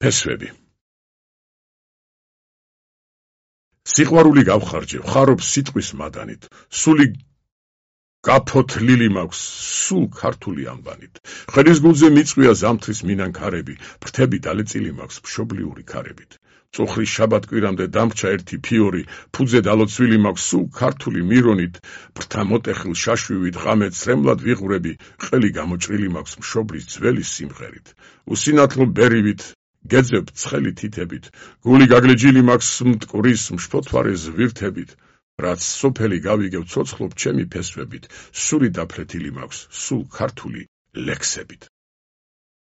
ფესვები. სიყვარული გავხარჯე, ვხარობ სიტყვის მადანით, სული გაფოთლილი მაქვს, სულ ქართული ამბანით. ხელის გულზე მიწვია ზამთრის მინანქარები, ფრთები დალეწილი მაქვს მშობლიური ქარებით. წუხრის შაბათ-კვირამდე დამრჩა ერთი ფიორი, ფუძე დალოცვილი მაქვს სულ ქართული მირონით, ფრთა მოტეხილ შაშვივით ღამე ცრემლად ვიღვრები, ყელი გამოჭრილი მაქვს მშობლის ძველი სიმღერით. უსინათლო ბერივით გეძებ ცხელი თითებით, გული გაგლეჯილი მაქვს მტკვრის მშფოთვარე ზვირთებით, რაც სოფელი გავიგებ ცოცხლობ ჩემი ფესვებით, სული დაფლეთილი მაქვს სულ ქართული ლექსებით.